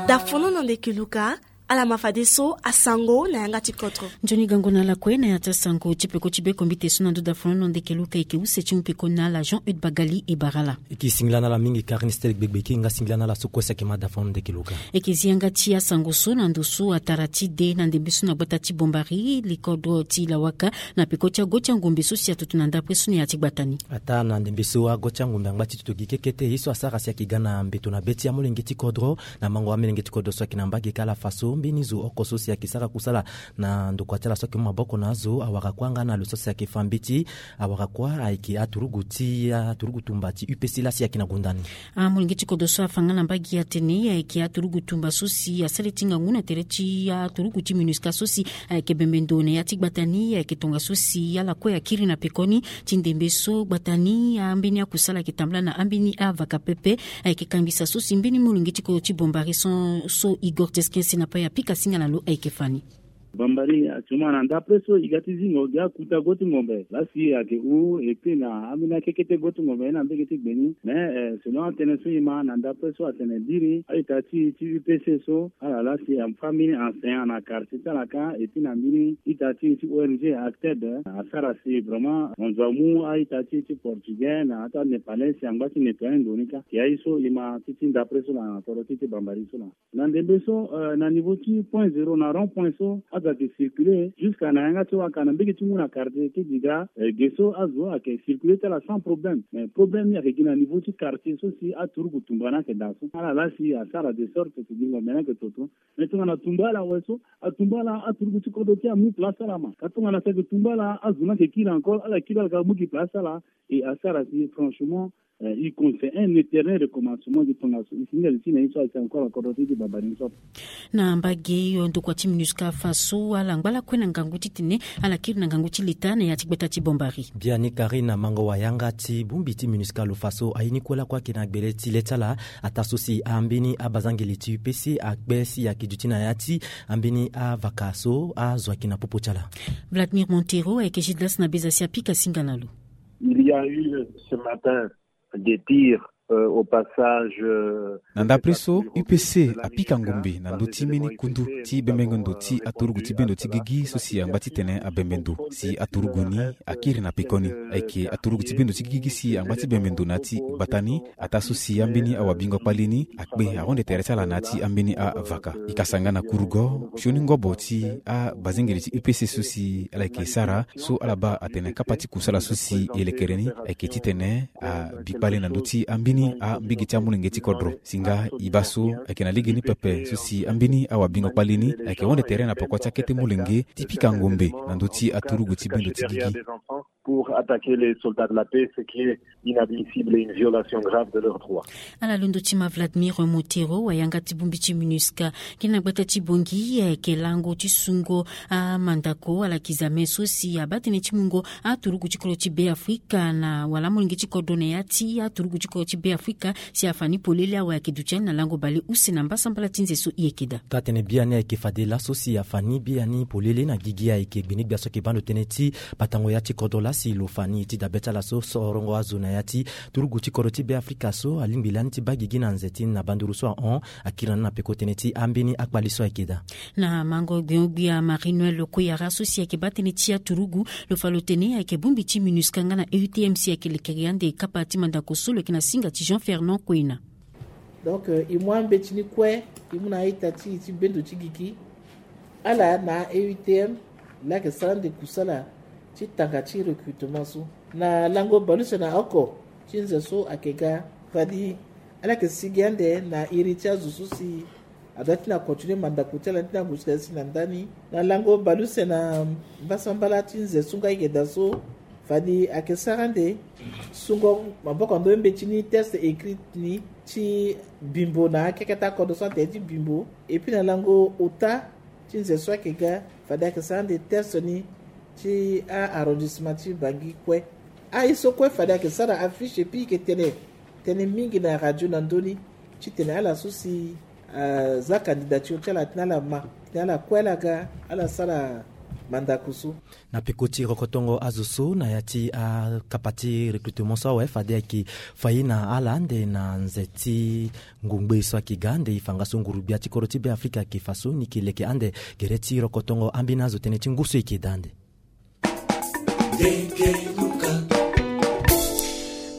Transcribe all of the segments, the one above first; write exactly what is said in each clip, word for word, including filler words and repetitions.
Dafono na ndeke luka. Ala ma fadeso asango na yanga ti kodro. Nzoni gango na ala kue na ya ti asango ti peko ti bekombite so na ndo dafono na ndeke luka eke use ti mu peko na ala Jean Eude Bagali e bara ala. Eke singila na ala mingi Karine Stelle Gbegbeke nga singila na ala so kue si ake ma dafono na ndeke luka. Eke zi yanga ti asango so na ndo so atara ti de na ndembe so na gbata ti Bombari likodro ti Lawaka na peko ti ago ti angombe so si atutu na ndapre so na ya ti gbata ni. Ataa na ndembe so ago ti angombe angba ti toto gi kekete ye so asara si ake ga na mbeto na be ti amolenge ti kodro. Na mango amolenge ti kodro so ayeke na mbage ka ala fa so mbeni zo oko so si ayeke sara kusala na ndokua ti ala so ayeke mu maboko na azo awara kuâ nga na lo so si ayeke fa mbeti awara kuâ ayeke aturugu ti aturugu tumba ti U P C laa si ayeke na gonda ni. Amolenge ti kodro so afa nga na mbage atene ayeke aturugu tumba so si asara ti ngangu na tere ti aturugu ti MINUSCA so si ayeke bembe ndo na ya ti gbata ni ayeke tongaso si ala kue akiri na pekoni ti ndembe so gbata ni ambeni akusala ayeke tambula na ambeni avaka pepe. Ayeke kangisa so si mbeni molenge ti kodro ti Bombari so so Igor Teskensi na pai apika singa na lo ayeke fa ni. Bambari actuellement na ndapre so e ga ti zingo gi akuta go ti ngombe laa si ayeke hou et puis na ambeni akekete go ti ngombe ye na mbege ti gbe ni mais selon atënë so e ma na ndapre so atene biri a-ita ti e ti U P C so ala laa si afa mbeni enseignant na quartier ti ala ka et puis na mbeni ita ti e ti O N G Acted asara si vraiment mo zo amu a-ita ti e ti portugais na ata népalais si angba ti nettoyer ndo ni ka. Ke aye so e ma ti ti ndapre so na kodro ti e ti Bambari so laa. Na ndembe so na niveau ti point zéro na rond point so azo ayeke circuler jusqu'à na yanga ti waka na mbege ti ngu na quartier ti diga ge so azo ayeke circuler ti ala sans problème mais problème ni ayeke gi na niveau ti quartier so si aturuku tumba ni ayeke daa so ala laa si asara de sorte si gingo mene ayeke toto. Mais tongana tumba ala awe so atumba ala aturuku ti kodro ti amu place ti ala ma ka tongana si ayeke tumba ala azo ni ayeke kiri encore ala kiri ala ka mu gi place ti ala. Et asara si franchement e konse un éternel recommencement gi tongaso e si ni ali ti na ye so ayeke encore na kodro ti e ti Bambari ni so. Na mbage hio ndokua ti MINUSCA afa so ala ngba lakue na ngangu titene ala kiri na ngangu ti leta na ya ti gbata ti Bambari. Biani Karine na mango wayanga ti bongbi ti MINUSCA lo fa so aye ni kue lakue ayeke na gbele ti le ti ala ataa so si ambeni abazangeli ti U P C akpe si ayeke duti na ya ti ambeni avaka so azo ayeke na popo ti ala. Vladimir Montero ayeke Gildas na beza si apika singa na lo. Il y a eu ce matin des tirs au passage. Na ndapre so U P C apika ngombe na ndö ti mbeni kundu ti bembenge ndo ti aturugu ti bendo ti gigi so si angba titene abembe ndo si aturugu ni akiri na pekoni. Ayeke aturugu ti bendo ti gigi si angba ti bembe ndo na ya ti gbata ni ataa so si ambeni awabingo kpali ni akpe ahonde tere ti ala na ya ti ambeni avaka. E ka sara nga na kurugo sioni ngobo ti abazengeli ti U P C so si ala yeke sara so ala baa atene kapa ti kusala so si e lekere ni ayeke titene abi kpale na ndö ti ambeni ambege ti amolenge ti kodro. Si nga e baa so ayeke na legeni pepe so si ambeni awabingo kpale ni ayeke honde tere na poko ti akete molenge ti pika ngombe na ndö ti aturugu ti bendo ti gigi. Pour attaquer les soldats de la paix, ce qui est inadmissible et une violation grave de leurs droits. Ala londo ti ma Vladimir Montero wayanga ti bongbi ti MINUSCA. Gi na gbata ti Bangui ayeke lango ti sungo amandako ala kizame so si abaa tënë ti mungo aturugu ti kodro ti Beafrika na wala amolenge ti kodro na ya ti aturugu ti kodro ti Beafrika si afa ni polele awe ayeke duti ani na lango bale use na mbasambala ti nze so e yeke daa. Taa-tënë biani ayeke fade laso si afa ni biani polele na gigi ayeke gbenegbia so ayeke baa ndo tënë ti batango ya ti kodro laa si lo fa ni ti dabe ti ala so sorongo azo na ya ti turugu ti kodro ti Beafrika so alingbi lani ti baa gigi na nze ti ni na banduru so ahon akiri na ni na peko tënë ti ambeni akpali so ayeke daa. Na mango gbion-gbia Marie Noël Koyara so si ayeke baa tënë ti aturugu lo fa lo tene ayeke bongbi ti MINUSCA nga na E U T M si ayeke lekere ande kapa ti mandako so lo yeke na singa ti Jean Fernand Koena. Donc e mu ambeti ni kue e mu na a-ita ti e ti bendo ti gigi ala na E U T M laa ayeke sara ande kusala ti tanga ti recrutement so na lango baleuse na oko ti nze so ayeke ga. Fadi ala yeke sigi ande na iri ti azo so si adoit ti na continuer mandako ti ala ni ti na kusika si na ndani na lango baleuse na mbasambala ti nze so nga ayeke daa so. Fadi ayeke sara ande sungo maboko na ndo mbeti ni test écrit ni ti bimbo na akeke ti akodro so atene ti bimbo. Et puis na lango ota ti nze so ayeke ga fade ayeke sara ande test ni ti a-arrondissement ti Bangui kue. Aye so kue fade ayeke sara affiche et puis e yeke tene tënë mingi na radio na ndö ni titene ala so si aza candidature ti ala titene ala ma titene ala kue ala ga ala sara Mandaku so. Na peko ti rokotongo azo so na ya ti akapa ti recrutement so awe fade ayeke fai na ala ande na nze ti ngongbe so ayeke ga ande e fa nga so nguru-gbia ti kodro ti Beafrika ayeke fa so ni yeke leke ande gere ti rokotongo ambeni azo tënë ti ngu so e yeke daa ande.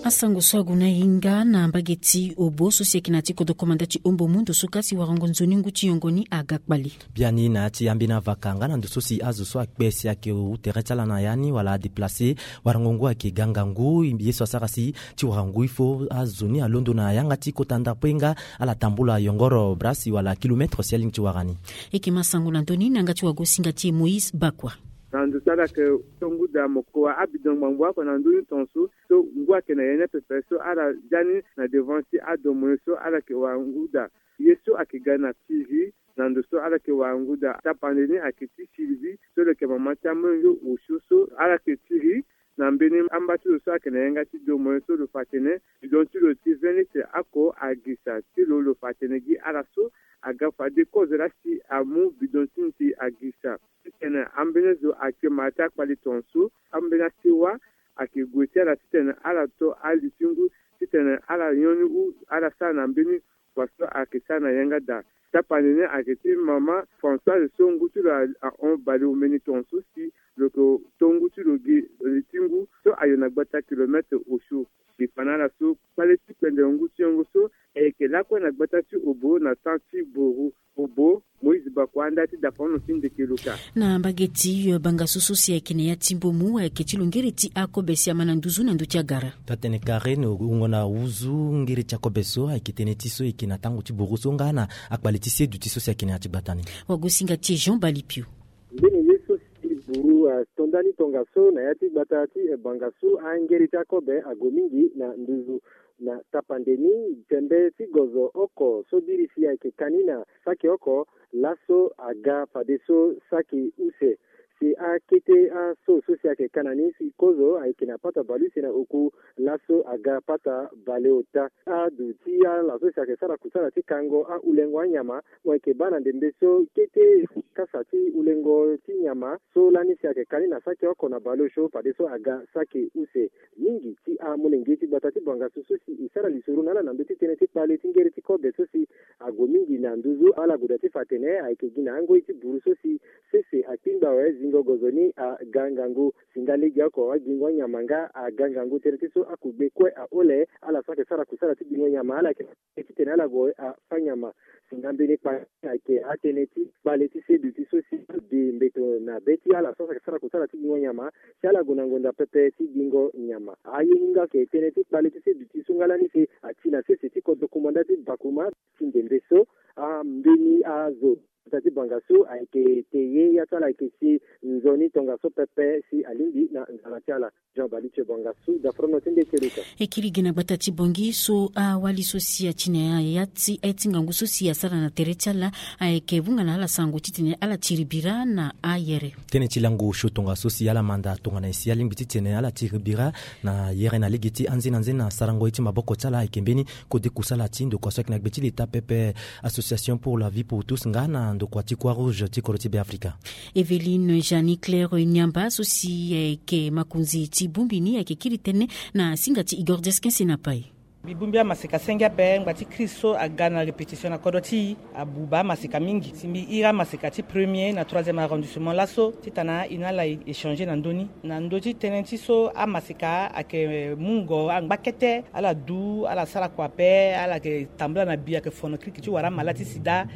Asango so ague na hinga na mbage ti Obo so si ayeke na ya ti kodro komanda ti Ombo mu ndo so ka si warango nzoni ngu ti yongo ni aga kpale. Biani na ya ti ambeni avaka nga na ndo so si azo so akpe si ayeke hu tere ti ala na ya ni wala adéplacer, warango ngu ayeke ga ngangu. Ye so asara si ti warango ifo azo ni alondo na yanga ti kota ndapo ye nga ala tambula yongoro brasi wala kilomètre si alingbi ti wara ni. E yeke ma sango na ndö ni na yanga ti wagosinga ti e Moïse Bakua. Na ndo so ala yeke tonguda mokoa abidon ngbangbo oko na ndö ni tongaso so ngu ayeke na ye ni apepe so ala zia ni na devant ti adomo ni so ala yeke wara ngu daa. Ye so ayeke ga na tiri na ndo so ala yeke wara ngu daa tapande ni ayeke ti Sylvie so lo yeke mama ti amolenge osio so ala yeke tiri na mbeni amba ti lo so ayeke na yanga ti domo ni so lo fa atene bidon ti lo ti vingt litres oko agisa ti lo, lo fa atene gi ala so aga fade kozo laa si amu bidon ti nze agisa. Titene ambeni zo ayeke ma ti akpali tongaso, ambeni asewa ayeke gue ti ala titene ala to ali ti ngu titene ala nyon ni u ala sara na mbeni wa so ayeke sara na yanga daa. Tapande ni ayeke ti mama Françoise so ngu ti lo ahon bale omeni tongaso si lo yeke to ngu ti lo gi li ti ngu so ayo na gbata kilomètre osio. Li fa na ala so kpale ti kpende ngu ti yongo so ayeke lakue na gbata ti Obo na temps ti Boru. Obo, Moïse Bakua, nda ti dapono ti ndeke luka. Na mbage ti bangasu so si ayeke na ya ti mbomu ayeke ti lo ngere ti akobe si ama na nduzu na ndö ti agara. Taa-tënë kare na wungo na wuzu ngere ti akobe so ayeke tënë ti so e yeke na tango ti buru so nga na akpale ti seduti so si ayeke na ya ti gbata ni. Wagosinga ti e Jean Balipio. Mbeni ye so si buru ato ndani tongaso na ya ti gbata ti bangasu angere ti akobe ague mingi na nduzu. Na tapande ni tembe ti gozo oko so biri si ayeke ka ni na saki oko laso aga fadeso saki use. Si akete aso so si ayeke ka na ni si kozo ayeke na pata baleuse na oku laso aga pata baleota. Adu ti ala so si ayeke sara kusala ti kango ahulengo anyama mo yeke baa na ndembe so kete kasa ti hulengo ti nyama so lani si ayeke ka ni na saki oko na baleosio fadeso aga saki use. Mingi ti amolenge ti gbata ti bangasu so si e sara lisoro na ala na ndö ti tënë ti kpale ti ngere ti kobe so si ague mingi na nduzu ala gue daa ti fa atene ayeke gi na angoi ti buru so si sese akpingba awe zingo gozo ni aga ngangu. Si nga legeoko agingo anyama nga aga ngangu tënë ti so akugbe kue ahole ala so ayeke sara kusala ti gingo nyama ala yeke titene ala gue afa nyama. Si nga mbeni kpale ayeke atënë ti kpale ti seduti so si ade mbeto na be ti ala so ayeke sara kusala ti gingo nyama si ala gue na ngonda pepe ti gingo nyama. Aye ni nga ayeke tënë ti kpale ti seduti so nga lani si ati na sese ti kodro kumanda ti Bakuma ti ndembe so. Ambeni azo gbata ti bangasu ayeke te ye ya ti ala ayeke si nzoni tongaso pepe si alingbi na nzara ti ala. Jean Balitio Bangasu, dafrono ti nde keluka. E kiri gi na gbata ti Bongi so awali so si ati na ya ti aye ti ngangu so si asara na tere ti ala ayeke hunga na ala sango titene ala tiri bira na ayere. Tënë ti lango osio tongaso si ala manda tongana nyen si alingbi titene ala tiri bira na yere na lege ti anze na nze na sarango ye ti maboko ti ala ayeke mbeni kode kusala ti ndokua so ayeke na gbe ti leta pepe Association pour la vie pour tous nga na ndokua ti Croix Rouge ti kodro ti Beafrika. Evelyne Jeanne Claire Niamba so si ayeke makonzi ti bongbi ni ayeke kiri tënë na singa ti Igor Desquin Senapai. Mbi bongbi amaseka senge ape ngba ti crise so aga na répétition na kodro ti e abuba amaseka mingi. Si mbi iri amaseka ti premier na troisième arrondissement laso titana e na ala e échanger na ndö ni. Na ndö ti tënë ti so amaseka ayeke mungo angba kete ala du ala sara kua ape ala yeke tambula na bi ayeke fono kiriki ti wara amala ti sida.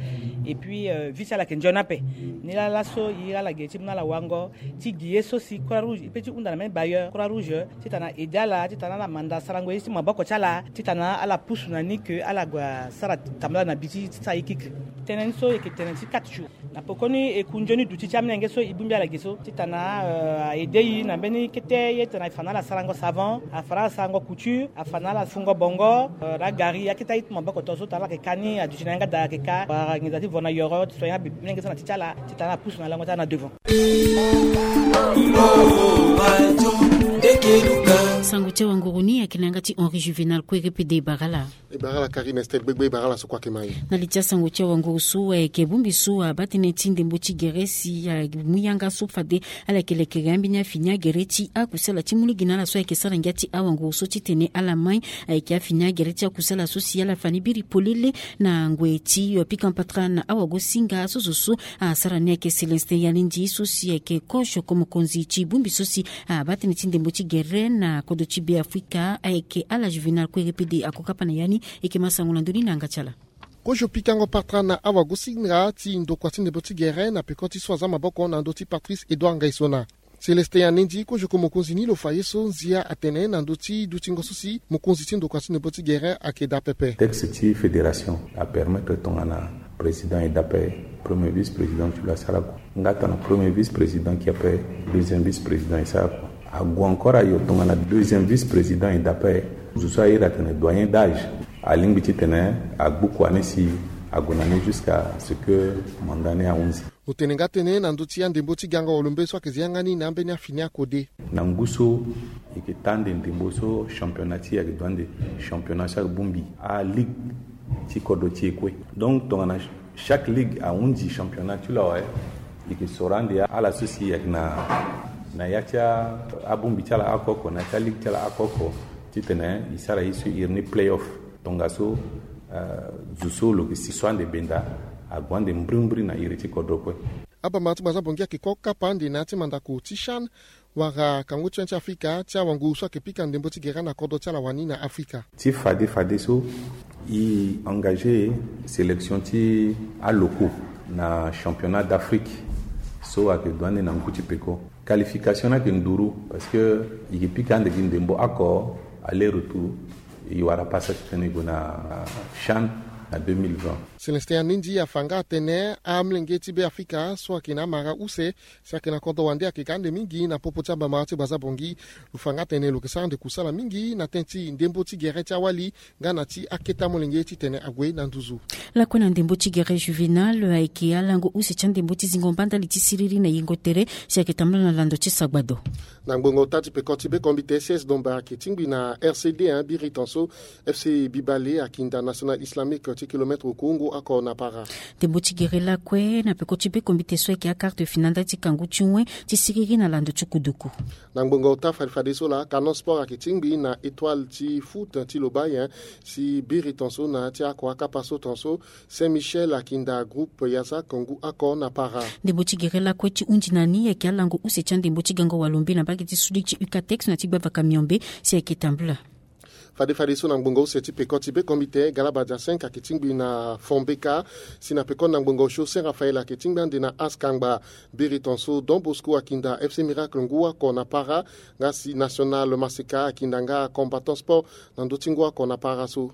Et puis vie ti ala yeke nzoni ape. Ni laa laso e iri ala ge ti mu na ala wango ti gi ye so si Croix Rouge e pe ti hunda na mbeni bailleur Croix Rouge titana aide ala titana ala manda sarango ye ti maboko ti ala titana ala pusu na ni ke ala gue asara tambula na bi ti sara ye kiki. Tënë ni so e yeke tene ti quatre jours. Na pekoni e ku nzoni duti ti amolenge so e bongbi ala ge so titana a aide e na mbeni kete ye titana e fa na ala sarango savon, a fa na ala sarango couture, a fa na ala fungo bongo, na gari akete aye ti maboko to so titana ala yeke ka ni aduti na yanga daa ayeke ka wala nginza ti vo na yoro ti soigner abe molenge so na ti ti ala titana ala pusu na lango ti ala na devant. Sango ti awanguru ni ayeke na yanga ti Henri Juvénal Kouéré Pédé Barala. E bara ala kari na estel gbegbe, e bara ala so kue ayeke ma e. Na li ti asango ti awanguru so ayeke bongbi so abaa tënë ti ndembo ti gere si amu yanga so fade ala yeke lekere ambeni afini agere ti akusala ti mu lege na ala so ayeke sara ngia ti awanguru so titene ala mai. Ayeke afini agere ti akusala so si ala fa ni biri polele na ngoi ti pika mpatra na awagosinga so zo so asara ni ayeke Célestin Yalindi so si ayeke kozo ko mokonzi ti bongbi so si abaa tënë ti ndembo ti gere na kodro ti Beafrika ayeke ala Juvénal Kouéré-Pede ako kapa na ya ni. E yeke ma sango na ndö ni na yanga ti ala. Kozo pikango patra na awagosinga ti ndokua ti ndembo ti gere na peko ti so aza maboko na ndö ti Patrice Edouard Ngaisona. Célestin Yalindi kozo ko mokonzi ni lo fa ye so nzia atene na ndö ti dutingo so si mokonzi ti ndokua ti ndembo ti gere ayeke daa pepe. Texte ti fédération apermettre tongana président e daa ape, premier vice-président ti lo asara kua. Nga tongana premier vice-président ki ape, deuxième vice-président e sara kua. Ague encore ayo tongana deuxième vice-président e daa ape, zo so a iri atene doyen d'âge, alingbi titene agbu kua ni si ague na ni jusqu'à ce que mandat ni ahunzi. Lo tene nga tënë na ndö ti andembo ti gango walombe so ayeke zi yanga ni na ambeni afini akode. Na ngu so e yeke taa ande ndembo so championnat ti e ayeke daa ande championnat so ayeke bongbi aligue ti kodro ti e kue. Donc tongana chaque ligue ahunzi championnat ti lo awe, e yeke soro ande ala so si e yeke na, na ya ti abongbi ti ala oko oko, na ya ti aligue ti ala oko oko, titene e sara ye so e iri ni play-off. Tongaso, eh, zo so lo yeke si so ande benda ague ande mbrimbri na iri ti kodro kue. Abamara ti Baza Bongi ayeke ko kapa ande na ya ti mandako ti CHAN wala kangu ti yen ti Afrika ti awanguru so ayeke pika ndembo ti gere na kodro ti ala wani na Afrika. Ti fade fadeso, e engagé sélection ti alocaux na championnat d'Afrique so ayeke daa ande na ngu ti peko. Qualification ni ayeke nduru parce que e yeke pika ande gi ndembo oko aller-retour. E wara pasa titene e gue na CHAN na deux mille vingt. Célestin Yalindi afa nga atene amolenge ti Beafrika so ayeke na amara use si ayeke na kodro wande ayeke ga ande mingi na popo ti abamara ti Baza Bongi. Lo fa nga atene lo yeke sara ande kusala mingi na tënë ti ndembo ti gere ti awali nga na ti akete amolenge titene ague na nduzu. Lakue na ndembo ti gere Juvénal, ayeke alango use ti andembo ti zingo mba ndali ti siriri na yengo tere si ayeke tambula na lando ti sagbado. Na ngbonga ota ti peko ti bekombite, C S Domba ayeke tingbi na R C D un, biri tongaso F C Bibale akinda National Islamique ti kilomètre okongo oko na para. Ndembo ti gere lakue na peko ti bekombite so ayeke akarte finale ndali ti kangu ti wen ti siriri na lando ti kuduku. Na ngbonga ota fade fadeso laa, Canon Sport ayeke tingbi na Étoile ti foot ti lo baa nyen si biri tongaso na ya ti oko akapa so tongaso Saint Michel akinda groupe Yazak ngu oko na para. Ndembo ti gere lakue ti hunzi na ni ayeke alango use ti andembo ti gango walombe na mbage ti Sud ti Ucatex na ti gbavaka Miombe si ayeke tambula. Fade fadeso na ngbonga use ti peko ti bekombite, Galabadja cinq ayeke tingbi na Fombeka. Si na peko na ngbonga osio, Saint Raphaël ayeke tingbi ande na Askangba. Biri tongaso Don Bosco akinda F C Miracle ngu oko na para. Nga si National Maseka akinda nga Combattant Sport na ndö ti ngu oko na para so.